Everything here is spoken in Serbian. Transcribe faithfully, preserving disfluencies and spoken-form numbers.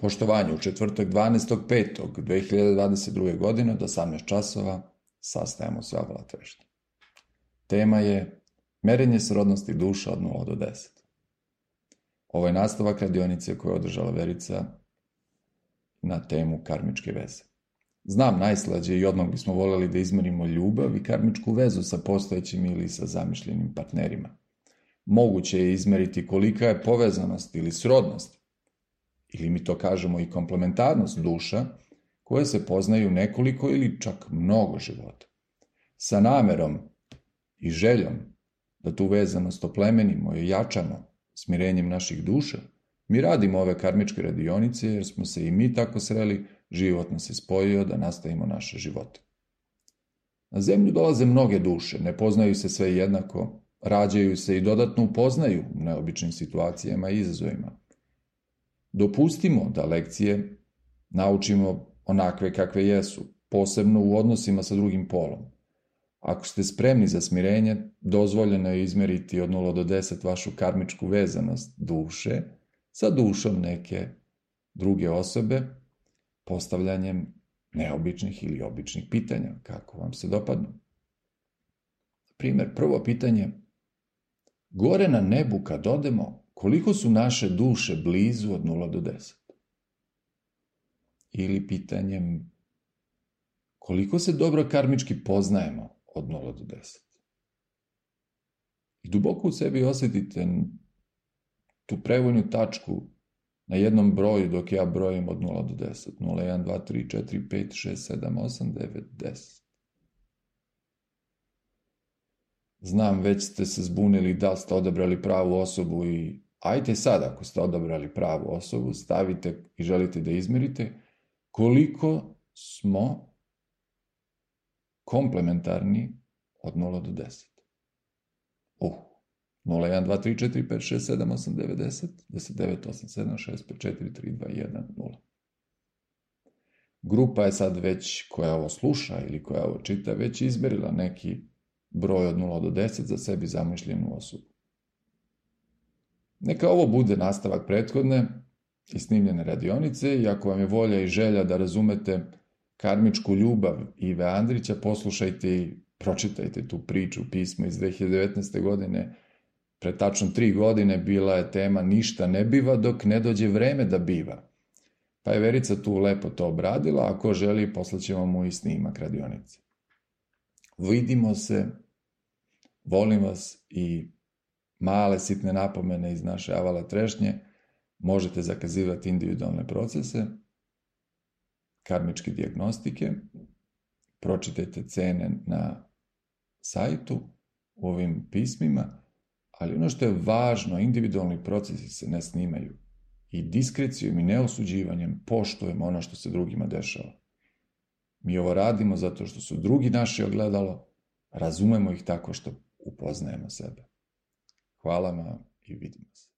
Poštovanje u četvrtak dvanaestog petog dve hiljade dvadeset druge. godine od osamnaest časova sastajemo se u Avala Trešnje. Tema je merenje srodnosti duša od nula do deset. Ovo je nastavak radionice koju je održala Verica na temu karmičke veze. Znam najslađe i odmah bismo voljeli da izmerimo ljubav i karmičku vezu sa postojećim ili sa zamišljenim partnerima. Moguće je izmeriti kolika je povezanost ili srodnost, ili mi to kažemo i komplementarnost duša, koje se poznaju nekoliko ili čak mnogo života. Sa namerom i željom da tu vezanost oplemenimo i jačamo smirenjem naših duša, mi radimo ove karmičke radionice jer smo se i mi tako sreli, život nas je spojio da nastavimo naše živote. Na zemlju dolaze mnoge duše, ne poznaju se sve jednako, rađaju se i dodatno upoznaju u neobičnim situacijama i izazovima. Dopustimo da lekcije naučimo onakve kakve jesu, posebno u odnosima sa drugim polom. Ako ste spremni za smirenje, dozvoljeno je izmeriti od nula do deset vašu karmičku vezanost duše sa dušom neke druge osobe, postavljanjem neobičnih ili običnih pitanja, kako vam se dopadnu. Primjer, prvo pitanje: gore na nebu kad odemo, koliko su naše duše blizu od nula do deset? Ili pitanjem: koliko se dobro karmički poznajemo od nula do deset? I duboko u sebi osjetite tu prevojnu tačku na jednom broju dok ja brojim od nula do deset. nula, jedan, dva, tri, četiri, pet, šest, sedam, osam, devet, deset. Znam, već ste se zbunili da ste odabrali pravu osobu i ajte sad, ako ste odabrali pravu osobu, stavite i želite da izmerite koliko smo komplementarni od nula do deset. Uh, nula, jedan, dva, tri, četiri, pet, šest, sedam, osam, devet, deset, deset, devet, osam, sedam, šest, pet, četiri, tri, dva, jedan, nula. Grupa je sad već, koja ovo sluša ili koja ovo čita, već izmerila neki broj od nula do deset za sebi zamišljenu osobu. Neka ovo bude nastavak prethodne i snimljene radionice i ako vam je volja i želja da razumete karmičku ljubav Ive Andrića, poslušajte i pročitajte tu priču, pismo iz dve hiljade devetnaeste. godine. Pre tačno tri godine bila je tema ništa ne biva dok ne dođe vreme da biva. Pa je Verica tu lepo to obradila, ako želi poslaćemo mu i snimak radionice. Vidimo se, volim vas i male sitne napomene iz naše Avala Trešnje, možete zakazivati individualne procese, karmičke dijagnostike, pročitajte cene na sajtu u ovim pismima, ali ono što je važno, individualni procesi se ne snimaju i diskrecijom i neosuđivanjem poštujemo ono što se drugima dešava. Mi ovo radimo zato što su drugi naše ogledalo, razumemo ih tako što upoznajemo sebe. Hvala vam i vidimo se.